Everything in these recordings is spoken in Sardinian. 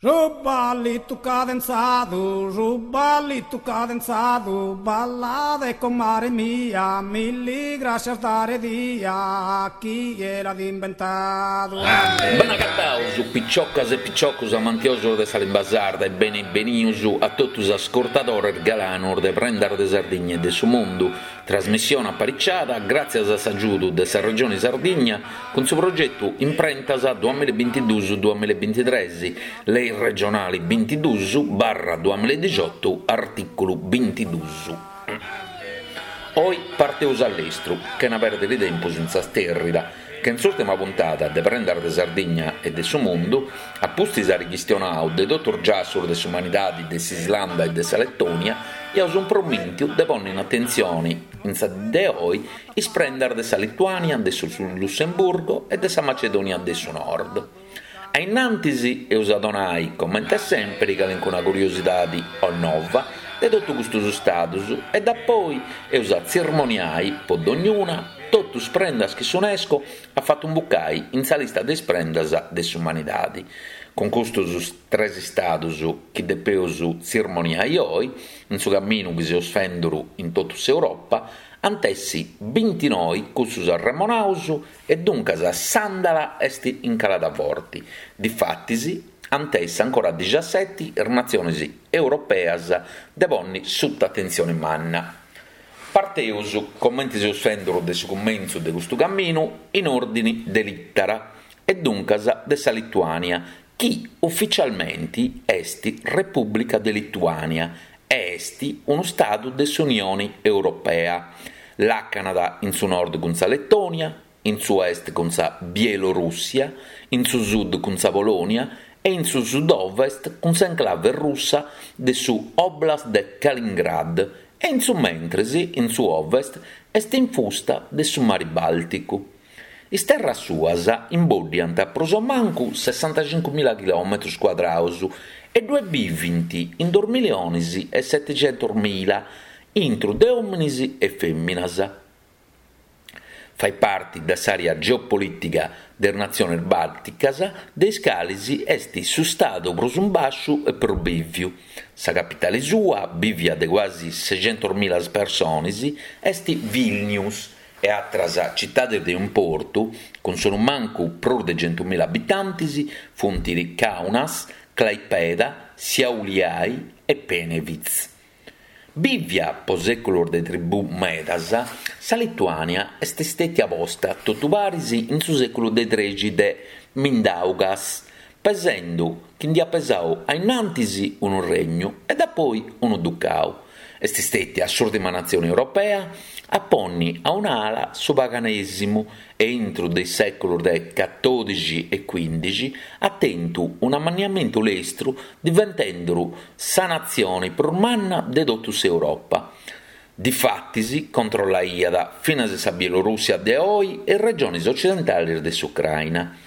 Su ballitu cadenzadu, su ballitu cadenzadu, ballade comare mia, milli grascias dare dia, chie l'at imbentadu. Bene agataus, piciocas e piciocus amantiosus de sa limba sarda e beni benius a totu is ascurtadores galanus de Prendas de Sardigna e de su Mundu, Trasmissione apariciada gràtzias a s'agiudu de sa Regione Sardigna cun su progetu Imprentas duamillabintiduus duamillabintitres, Lei regionali bintiduus barra duamilladixotu artìculu bintiduus. Oi parteus a lestru, chena pèrdiri tempus in sa stèrrida, ca in s'ùrtima puntada de Prendas de Sardigna e de su Mundu, a pustis ari chistionau de totu is giassus de s'umanidadi de s'Islanda e de sa Letònia, iaus impromìntiu de ponni in atentzioni, in sa dì de oi, is prendas de sa Lituània, de su Lussemburgo e de sa Macedònia de su Nord. A innantis eus a donai, comente sèmpiri, calincuna curiosidadi o nova de totu custus stadus e dapoi eus a tzirmoniai, po dognuna, totu is prendas chi s'Unesco at fatu imbucai in sa lista de is prendas de s'umanidadi. Cun custus tres stadus chi depeus tzirmoniai oi, in su caminu chi seus fenduru in totu s'Europa, ant essi bintinoi cussus arremonaus e duncas s'andala est in calada forti, difatis ant essi ancora dixaseti is natzionis europeas de ponni suta atentzioni manna. Parteus, comenti seus fenduru de su cumentzu de custu caminu, in òrdini de lìtara, e duncas de sa Lituània, chi uficialmenti est Repùblica de Lituània e est unu stadu de s'Unioni Europea. Làcanat in su nord cun sa Letònia, in su est cun sa Bielorùssia, in su sud cun sa Polònia e in su sud-ovest cun s'enclave russa de su Oblast de Kaliningrad e in su mentres in su ovest est infusta de su Mari Bàlticu. Is terras suas imboddiant prus o mancu sessantacincumila chilòmetrus cuadraus e ddue bivint in dus milionis e seticentusmila intru de òminis e fèminas. Fait parti de s'àrea geopolìtiga de is natziones bàlticas, de is cales est su stadu prus in bàsciu e prus bìviu. Sa capitale sua, bìvia de cuasi sescentusmila persones, est Vilnius e àteras citades de importu, cun sonumancu prus de centumila abitantes, funt Kaunas, Klaipeda, Šiauliai e Panevėžys. Bìvia po sèculos de tribù medas, sa Lituània est stètia posta totu paris in su sèculu de trexi de Mindaugas, pesendu chi nd'iat pesau a innantis unu regnu e dapoi unu ducau. Est stètia s'ùrtima natzione europea a ponni a un'ala su paganèsimu e intru de is sèculos de catòdixi e cuìndixi at tentu un'amanniamentu lestru diventenduru sa natzione prus manna de totu s'Europa. Difatis controllaiat finas sa Bielorùssia de oi e is regiones ocidentales de s'Ucraina.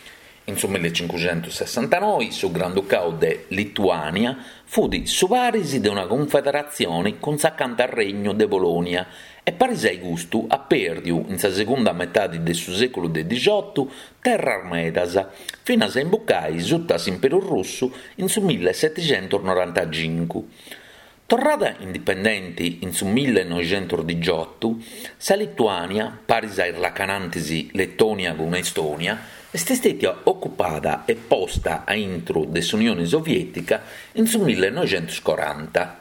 In su millecincuxentussessantanoi su Granducau de Lituània fut su paris de una cunfederatzione cun s'acanta Regnu de Polònia e paris a custu at pèrdiu in sa segunda metadi de su sèculu de dixotu terras medas, finas a imbucai suta s'Imperu Russu in su millesetixentusnorantacincu. Torrada indipendenti in su millenoixentusdixotu, sa Lituània, paris a is lacanantis Letònia cun Estònia, est stètia ocupada e posta a intru de s'Unioni Soviètica in su millenoixentuscoranta.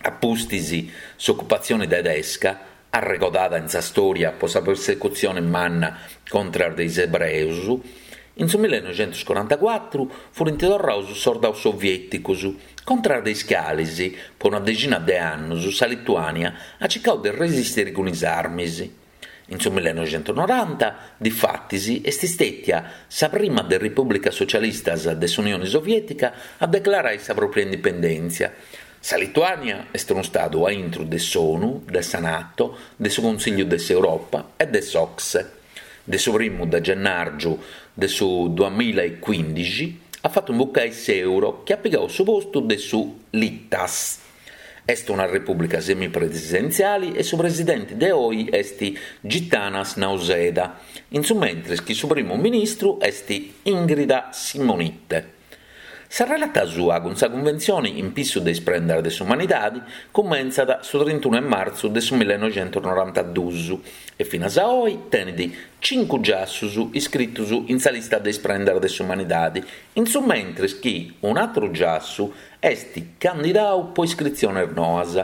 A pustis s'ocupatzioni tedesca, arregodada in sa stòria po sa persecutzioni manna contras de is ebreus, in su millenoixentuscorantacuatru furint torraus is sordaus sovièticus, contras de is calis, po una dexina de annus, sa Lituània at circau de resistiri cun is armis. In su millenoixentusnoranta, difatis, est stètia sa prima de is repùblicas socialistas de s'Unioni Soviètica a declarai sa pròpria indipendèntzia. Sa Lituània est unu stadu a intru de s'ONU, de sa Nato, de su Consìgliu de s'Europa e de s'OCSE. De su primu de gennàrgiu de su duamilla e cuìndixi at fatu imbucai s'euro chi at pigau su postu de su litas. Est una repùblica semipresidentziali e su presidenti de oi est Gitanas Nausėda, in su mentres chi su primu ministru est Ingrida Šimonytė. Sa relata sua cun sa Cunventzioni in pissu de is prendas de s'umanidadi cumentzat su trintunu 'e martzu de su millenoixentusnorantaduus e finas a oi tenit cincu giassus iscritus in sa lista de is prendas de s'umanidadi, in su mentris chi un'atru giassu est candidau po iscritziones noas.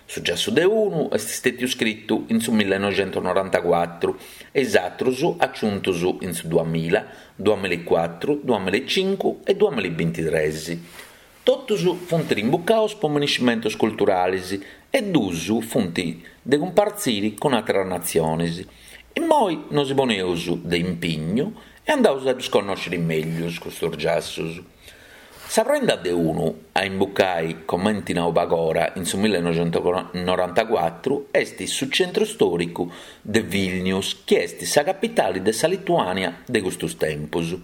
Su giassu de unu est stètiu scritu in su millenoixentusnorantacuatru e is atrus aciuntus in su duamilla, duamillaecuatru, duamillaecincu e duamillabintitres. Totus funt rimbucaus po miniscimentus culturalis e dus funt de cumpartziri cun àteras natzionis. Immoi nosi poneus de impignu e andaus a ddus connòsciri mellus custus giassus. Sa prenda de unu a imbucai, comenti nau pagora, in su millenoixentusnorantacuatru est su centru stòricu de Vilnius chi est sa capitali de sa Lituània de custus tempus.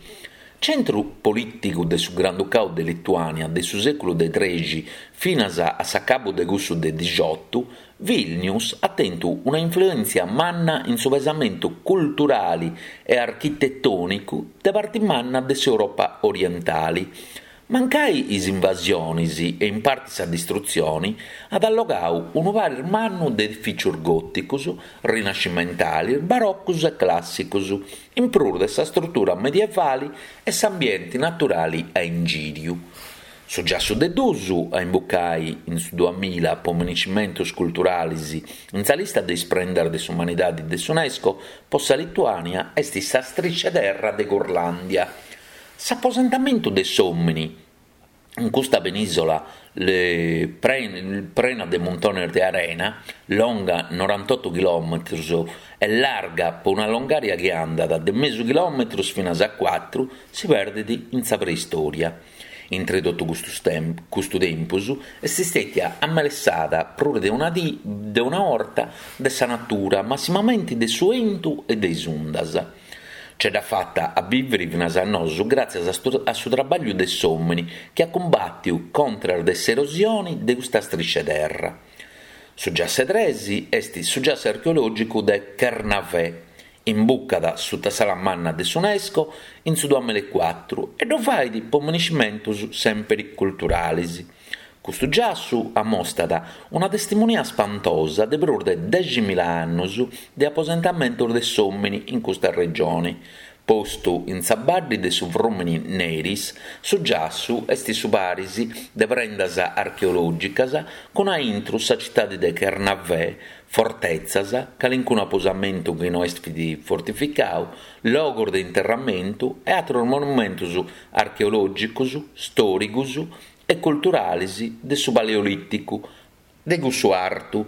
Centru polìticu de su Granducau de Lituània de su sèculu de trexi finas a s'acabu de cussu de dixiotu, Vilnius at tentu una influèntzia manna in su pesamentu culturali e architetònicu de parti manna de s'Europa orientali. Mancai is invasionis e in parti sa distrutzioni, at allogau unu paris mannu de edifìcius gòticus, rinascimentalis, barocus e clàssicus, in prus de sa strutura medievali e s'ambienti naturali a ingìriu. Su giassu de dus a imbucai in su duamilla po miniscimentus culturalis in sa lista de is prendas de s'umanidadi de s'Unesco po sa Lituània est sa striscia 'e terra de Curlàndia. S'aposentamentu de s'òmini in custa penìsola prena de muntones de arena, longa norantotu chilòmetrus e larga po una longària chi andat de mesu chilòmetrus finas a cuatru, si perdet in sa preistòria. Intre totu custu tempus est stètia amelessada prus de una de una 'orta de sa natura, massimamenti de su 'entu e de is undas. Ce dd'at fata a bìviri finas a nosu gràtzias a su trabagliu de s'òmini chi at cumbàtiu contras de s'erosioni de custa striscia 'e terra. Su giassu 'e tres est su giassu archeològicu de Kernavè, imbucat suta s'ala manna de s'Unesco in su duamillaecuatru e ddu fait po miniscimentus sèmpiri culturalis. Custu giassu amostat una testimonia spantosa de prus de deximila annus de aposentamentus de s'òmini in custa regioni. Postu in sa baddi de su frùmini Neris, su giassu est su paris de prendas archeològicas cun a intru sa citadi de Kernavè, fortetzas, calincunu aposamentu chi no est fortificau, logos de interramentu e àteros monumentus archeològicos, stòricos e culturalis de su Paleolìticu, de cussu artu,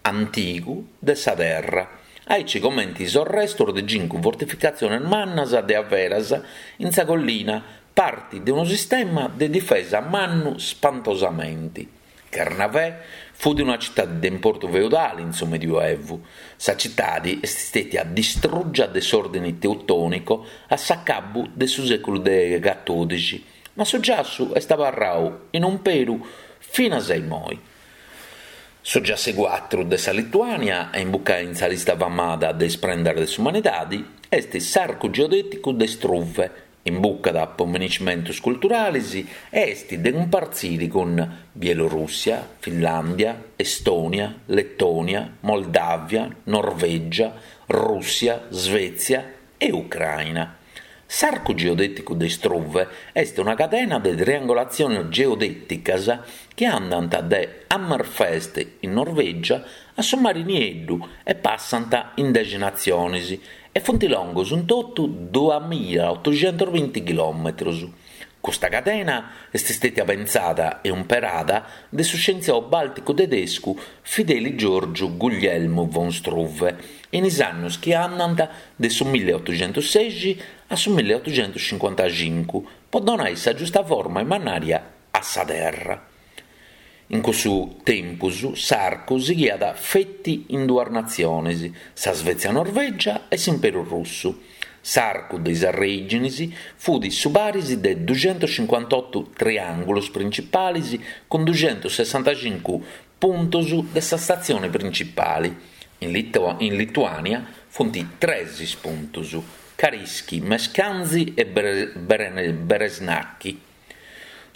antigu, de sa terra, aici comenti is orrestos de cincu fortificatziones mannas de averas in sa collina, parti de unu sistema de difesa mannu spantosamenti. Kernavè fut una citadi de importu feudali in su Medioevu. Sa citadi est stètia distrùgia de s'Òrdini Teutònico a s'acabu de su sèculu de catòdixi, ma su giassu est abarrau in umperu finas a imoi. Su giassu 'e cuatru de sa Lituània a imbucai in sa lista famada de is prendas de s'umanidadi est s'Arcu Geodèticu de Struve, Imbucat po miniscimentus culturalis e est de cumpartziri cun Bielorùssia, Finlàndia, Estònia, Letònia, Moldàvia, Norvègia, Rùssia, Svètzia e Ucràina. S'Arcu Geodèticu de Struve est una cadena de triangolatziones geodèticas chi andant de Hammerfest in Norvègia a su Mari Nieddu e passant in dexi natziones e funt longos in totu duamilaotoxentosbinti chilòmetros. Custa cadena est stètia pentzada e umperada de su scientziau bàlticu tedescu Fideli Giorgiu Guglielmu von Struve in is annus chi andant de su milliottoxentossexi a su milliottoxentocincuantacincu po donai sa giusta forma e mannària a sa terra. In cussu tempus s'arcu sighiat feti in duas natziones, sa Svezia-Norvègia e s'Imperu Russu. S'arcu de is arrèiginis fut su paris de duxentuscincuantotu triàngulos principalis cun duxentussessantacincu puntos de sa statzione principali. In Lituània funt tres is puntos, Kariški, Meškanzi e Beresnaki.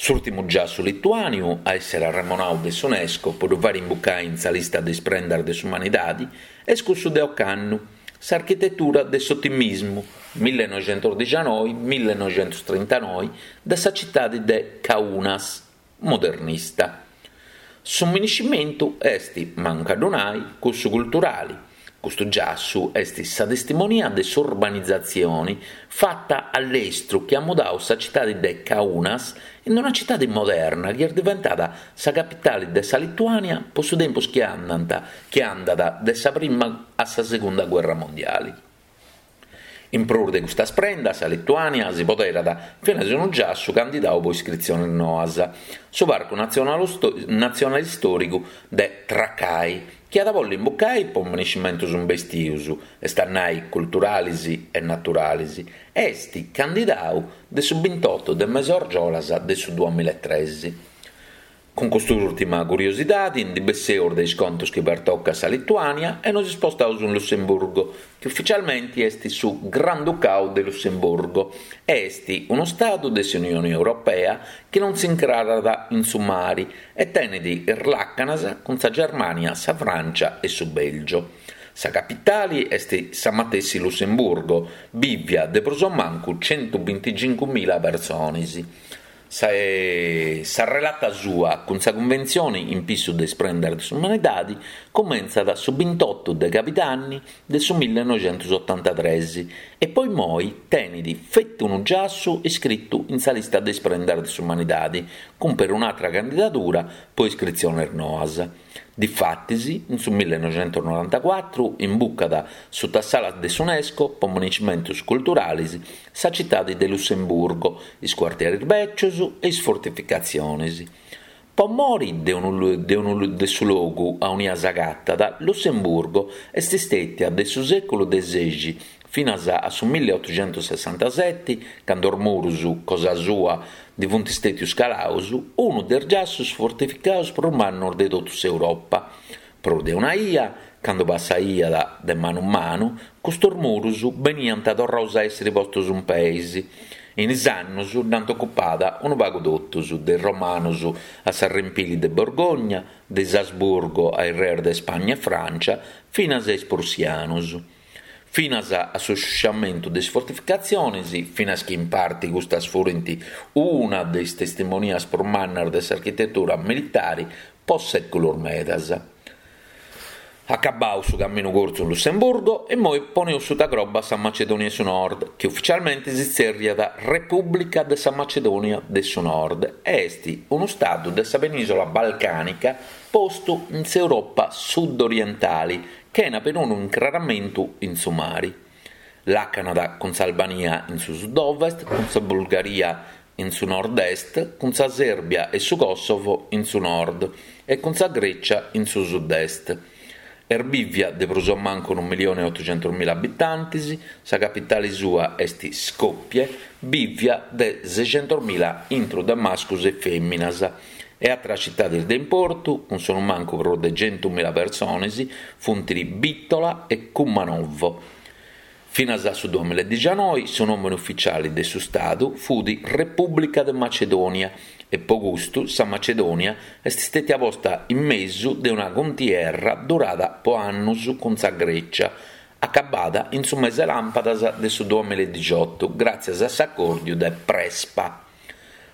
S'ùrtimu giassu lituàniu a èssere arremonadu de s'UNESCO po ddu fàere imbucai in sa lista de is prendas de s'umanidadi est cussu de ocannu, s'architetura de s'otimismu, millenoixentosdixanoi millenoixentostrintanoi, de sa citadi de Kaunas, modernista. Su miniscimentu est, mancu a ddu nai, cussu culturali. Custu giassu est sa testimonia de s'urbanizatzioni fata a lestru chi at mudau sa citadi de Kaunas in una citadi moderna chi est diventada sa capitali de sa Lituània po su tempus chi andant chi andat de sa prima a sa segunda guerra mondiali. In prus de custas prendas, sa Lituània si poderat finas unu giassu candidau po iscritziones noas, su Parcu Natzionale Istòricu de Trakai, chi at a bolli imbucai po miniscimentus imbestius, est a nai culturalis e naturalis, est candidau de su bintoto de mesu-argiolas de su duamillaetres. Cun cust'ùrtima curiosidadi ndi besseus de is contos chi pertocat sa Lituània e nos ispostaus in Lussemburgo, chi ufficialmenti est su Granducau de Lussemburgo e est unu stadu de s'Unioni Europea chi non s'incrarat in su mari e tenet is làcanas cun sa Germània, sa Frància e su Bèlgio. Sa capitali est sa matessi Lussemburgo, bìvia de prus o mancu centubintixincumila persones. Sa relata sua cun sa Cunventzioni in pissu de is prendas de s'umanidadi cumentzat su bintotu de cabidanni de su millenoixentusotantatres e po immoi tenit feti unu giassu iscritu in sa lista de is prendas de s'umanidadi cun perun'atra candidadura po iscritziones noas. Difatis, in su millenoixentusnorantacuatru imbucat suta s'ala de s'UNESCO po miniscimentus culturalis sa citadi de Lussemburgo, is cuartieris bècius e is fortificatzionis. Po mori de unu de unu de su logu aunia s'agatat, Lussemburgo est stètia de su sèculu de sexi finas a su milliotuxentussessantaseti, candu is murus cosa sua ndi funt stètius calaus, unu de is giassus fortificaus prus mannus de totu s'Europa. Prus de una ia, candu passaiat de manu manu, custus murus beniant torraus a èssiri postus in peis. In is annus dd'ant ocupada unu pagu totus, de is Romanus a s'arrempili de Borgogna, de is Asburgo a is reis de Spagna e Francia, finas a is Prussianus. Finas a su sciusciamentu de is fortificatzionis, finas chi in parti custas furint una de is testimonias prus mannas de s'architetura militari po sèculos medas. Acabau su caminu curtzu in Lussemburgo, immoi poneus suta croba sa Macedònia 'e su Nord, chi uficialmenti si tzèrriat Repùblica de sa Macedònia de su Nord e est unu stadu de sa penìsola balcànica postu in s'Europa sud-orientali, chena perunu incraramentu in su mari. Làcanat cun s'Albania in su sud-ovest, cun sa Bulgaria in su nord-est, cun sa Sèrbia e su Kosovo in su nord e cun sa Grècia in su sud-est. Est bìvia de prus o mancu unu millione e otuxentusmila abitantes, sa capitale sua est Skopje, bìvia de sexentusmila intru de mascus e fèminas, e àteras citades de importu, cun sonumancu prus de centumila persones, funt Bitola e Kumanovo. Finas a su duamiladixanoi su nòmene ufitziale de su stadu fut Repùblica de Macedònia e po custu sa Macedònia est stètia posta in mesu de una cuntierra durada po annus cun sa Grècia, acabada in su mese làmpadas de su duamiladixotu gràtzias a s'acòrdiu de Prespa.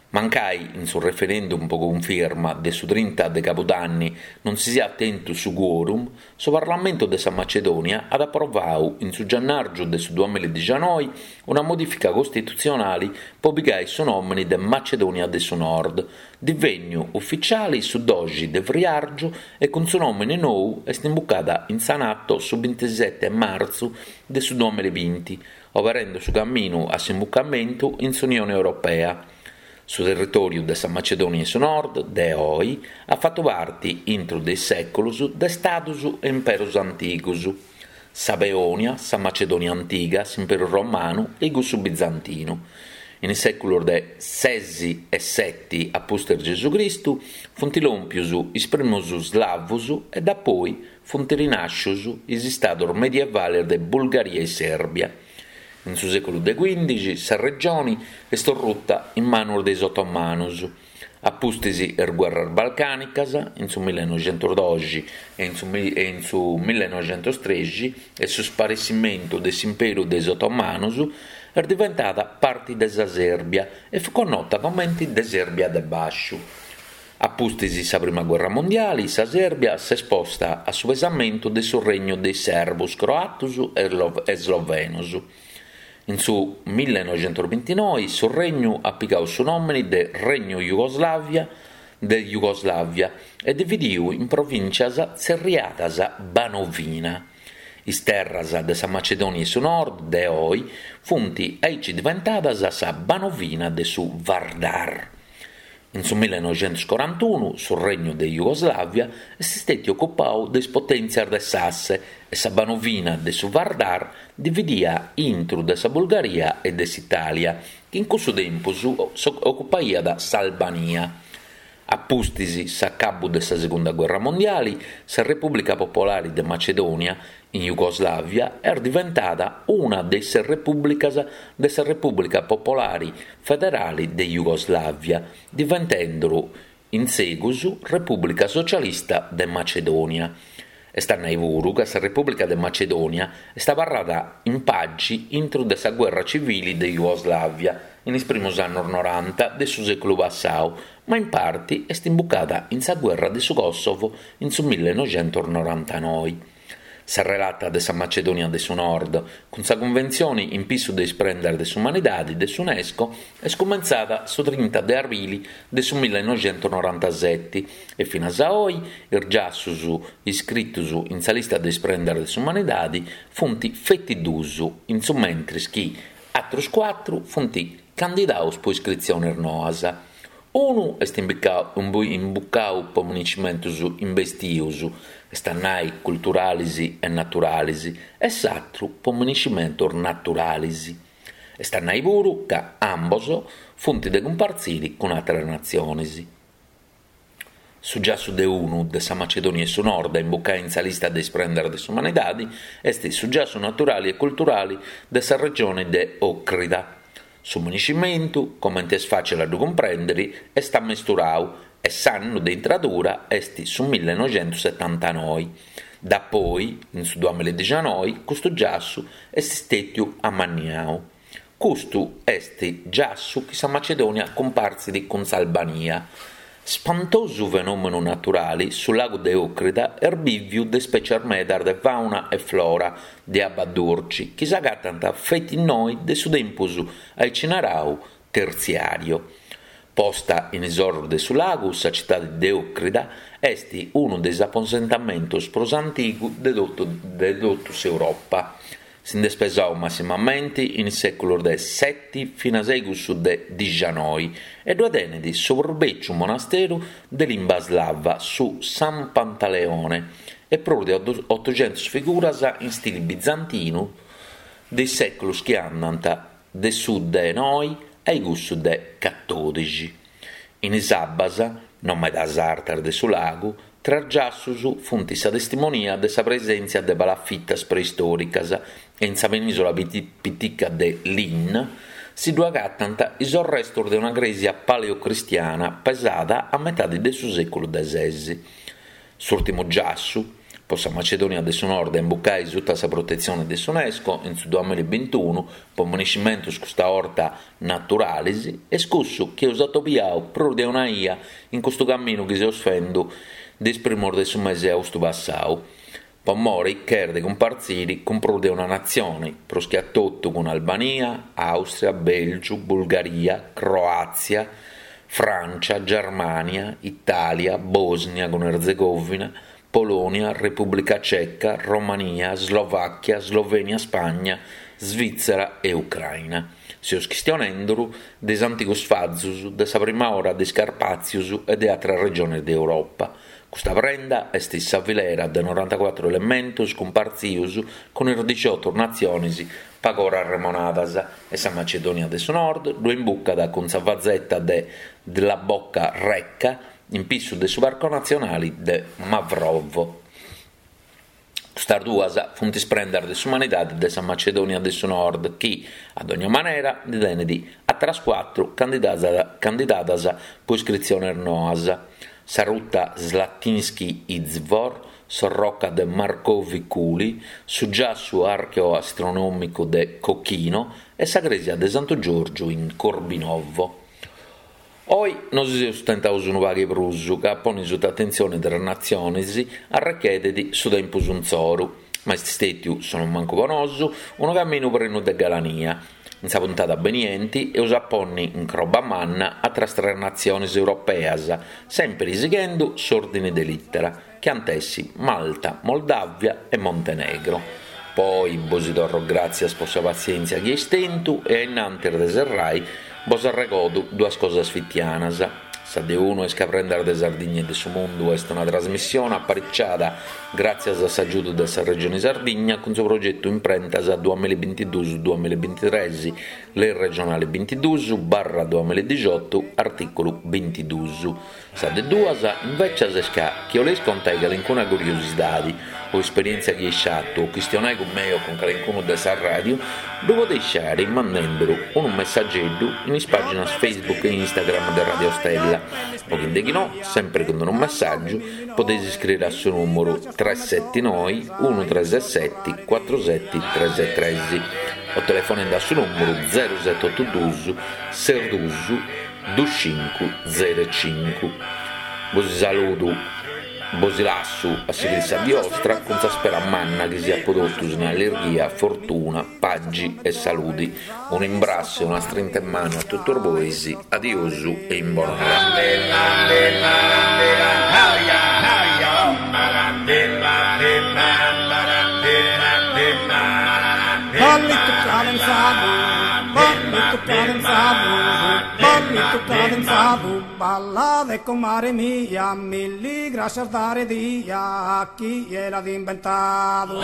Mancai in su referendum po cunfirma de su trinta de cabudanni non si siat tentu su quorum, su Parlamentu de sa Macedònia at aprovau in su giannàrgiu de su duamiladixanoi una modìfica costitutzionali po pigai su nòmini de Macedònia de su Nord, divènniu uficiali su doxi de friàrgiu e cun su nòmini nou est imbucada in sa Nato su bintiseti martzu de su duamilabinti, oberende su caminu a s'imbucamentu in s'Unione Europea. Su territòriu de sa Macedònia 'e su Nord de oi at fatu parti intru de is sèculos de stados e imperos antigos, sa Peònia, sa Macedònia antiga, s'Imperu Romanu e cussu Bizantinu. In is sèculos de ses e seti a pustis Gesù Cristu funt lòmpios is primos slavos e dapoi funt rinàscios is istados medievales de Bulgaria e Sèrbia. In su sèculu de cuìndixi sa regioni est orruta in manus de is otomanus. A pustis is guerras balcànicas, in su millenoixentosdoxi e in su e in su millenoixentostrexi e su sparessimentu de s'imperu de is otomanus, est diventada parti de sa Sèrbia e fut connota comenti de Sèrbia de Bàsciu. A pustis sa prima guerra mondiali sa Sèrbia s'est posta a su pesamentu de su regnu de is serbos, croatos e slovenos. In su millenoixentosbintinoi su regnu at pigau su nòmini de Regnu Jugoslàvia de Jugoslàvia e dividiu in provìntzias tzerriadas Banovina. Is terras de sa Macedònia 'e su Nord de oi funt aici diventadas sa Banovina de su Vardar. In su millenoixentoscorantunu su Regnu de Jugoslàvia est stètiu ocupau de is potèntzias de s'Asse e sa Banovina de su Vardar dividia intru de sa Bulgaria e de s'Itàlia, chi in cussu tempus ocupaiat s'Albania. A pustis s'acabu de sa Segunda Guerra Mondiali, sa Repùblica Popolare de Macedònia in Jugoslàvia est diventada una de is ses repùblicas de sa Repùblica Popolare Federale de Jugoslàvia, diventenduru in segus Repùblica Socialista de Macedònia. Est a nai puru ca sa Repùblica de Macedònia est abarrada in pagi intru de sa guerra civili de Jugoslàvia in is primus annos noranta de su sèculu passau, ma in parti est imbucada in sa guerra de su Kosovo in su millenoixentosnorantanoi. Sa relata de sa Macedònia de su Nord cun sa Cunventzioni in pissu de is prendas de s'umanidadi de s'Unesco est cumentzada su trinta de arbili de su millenoixentosnorantaseti e finas a oi is giassus iscritus in sa lista de is prendas de s'umanidadi funt feti dus, in su mentris chi atrus cuatru funt candidaus po iscritzionis noas. Unu est imbucau po minescimentus imbestius, est a nai culturalis e naturalis, e s'atru po minescimentus naturalis. Est a nai puru ca ambos funt de cumpartziri cun àteras natzionis. Su giassu de unu de sa Macedònia 'e su Nord a imbucai in sa lista de is prendas de s'umanidadi est su giassu naturali e culturali de sa regioni de Òcrida. Su minescimentu, comente est fàcile a ddu cumprèndere, est ammesturau e s'annu de intradura est su millenoixentosetantanoi. Dapoi, in su duamilladixianoi, custu giassu est stètiu amanniau. Custu est giassu chi sa Macedònia cumpartzit cun s'Albania. Spantosu fenòmenu naturali, su lagu de Òcrida est bìviu de spècias medas de fàuna e flora de abba durci chi s'agatant feti innoi de su tempus aici narau tertziàriu. Posta in is orus de su lagu, sa citadi de Òcrida est unu de is aposentamentus prus antigu de totu de totu s'Europa. Si nd'est pesau massimamenti in is sèculos de seti finas a cussu de dixianoi e ddue tenet su prus bèciu monasteru de limba slava, su San Pantaleone, e prus de otoxentos figuras in stili bizantinu de is sèculos chi andant de su de noi a cussu de catòdixi. In is abbas, non medas artas de su lagu, tres giassus funt sa testimonia de sa presèntzia de palafitas preistòricas e in sa penìsula pitica de Lin si ddu agatant is orrestos de una crèsia paleocristiana pesada a metadi de su sèculu de ses. S'ùrtimu giassu, po sa Macedònia de su Nord a imbucai suta sa protetzione de s'Unesco in su duamillabintunu po minescimentus custa 'orta naturalis, est cussu chi eus atobiau prus de una 'ia in custu caminu chi seus fendu de is primus de su mesi 'e austu passau, po mori chi est de cumpartziri cun prus de una natzioni, prus che a totu cun Albania, Àustria, Bèlgiu, Bulgaria, Croàtzia, Frància, Germània, Itàlia, Bòsnia cun Erzegòvina, Polònia, Repùblica Ceca, Romania, Slovàchia, Slovènia Spagna, Svìtzera e Ucraina. Seus chistionenduru de is antigus fazus de sa prima ora de is Carpàtzius e de àteras regiones de Europa. Custa prenda est sa filera de norantacuatru elementus cumpartzius cun is dixiotu natzionis pagora arremonadas e sa Macedònia de su Nord ddu imbucat cun sa fazeta de Dlaboka Reka in pissu de su Parco Natzionali de Mavrovo. Custas duas funt is prendas de s'umanidade de sa Macedònia de su Nord chi, a dogna manera, ndi tenet àteras cuatru candidadas po iscritziones noas, sa ruta Slatinski Izvor, s'orroca de Markovi Kuli, su giassu archeoastronòmicu de Kokino e sa crèsia de Santu Giorgiu in Corbinovo. Oi nosi seus tentaus unu pagu 'e prus ca a ponni suta atentzioni tres natzionis arrechedet su tempus intzoru, ma est stètiu, sonumancu po nosu, unu caminu prenu de galania. In sa puntada benienti eus a ponni in croba manna atras tres natzionis europeas, sèmpiri sighendu s'òrdini de lìtera, chi ant essi Malta, Moldàvia e Montenegro. Po oi bosi torro gràtzias po sa patzièntzia chi eis tentu e a innantis de serrai bos arregodu duas cosas fitianas. Sa de unu est ca Prendas de Sardigna e de su Mundu est una trasmissione apariciada gràtzias a s'agiudu de sa Regioni Sardigna cun su progetu Imprentas duamillabintiduus duamillabintitres, Lei regionale bintiduus barra duamilladixotu artìculu bintiduus. Sa de duas, invècias, est ca, chi 'oleis contai calincuna curiosidadi o esperièntzia chi eis fatu o chistionai cun mei o cun calincunu de sa ràdiu, ddu podeis fai mandenduru unu messageddu in is pàginas Facebook e Instagram de Radio Stella o chi deghinò, sempri cun unu messàgiu, podeis iscriri a su nùmuru tres seti noi unu tres seti cuatru seti tres tres o telefonendi a su nùmuru zeru seti otu dus ses dus dus cincu zeru e cincu. Bosi saludu, bosi lassu a sighiri sa dì 'ostra cun sa spera manna chi siat po totus in allirghia, fortuna, pagi e saludi. Unu imbrassu e una strinta 'e manu a totus bois, adiosu e in bonora. Ballitu cadenzadu, ballitu cadenzadu, ballitu cadenzadu, ballade comare mia, milli grascias dare dia, chie l'at imbentadu.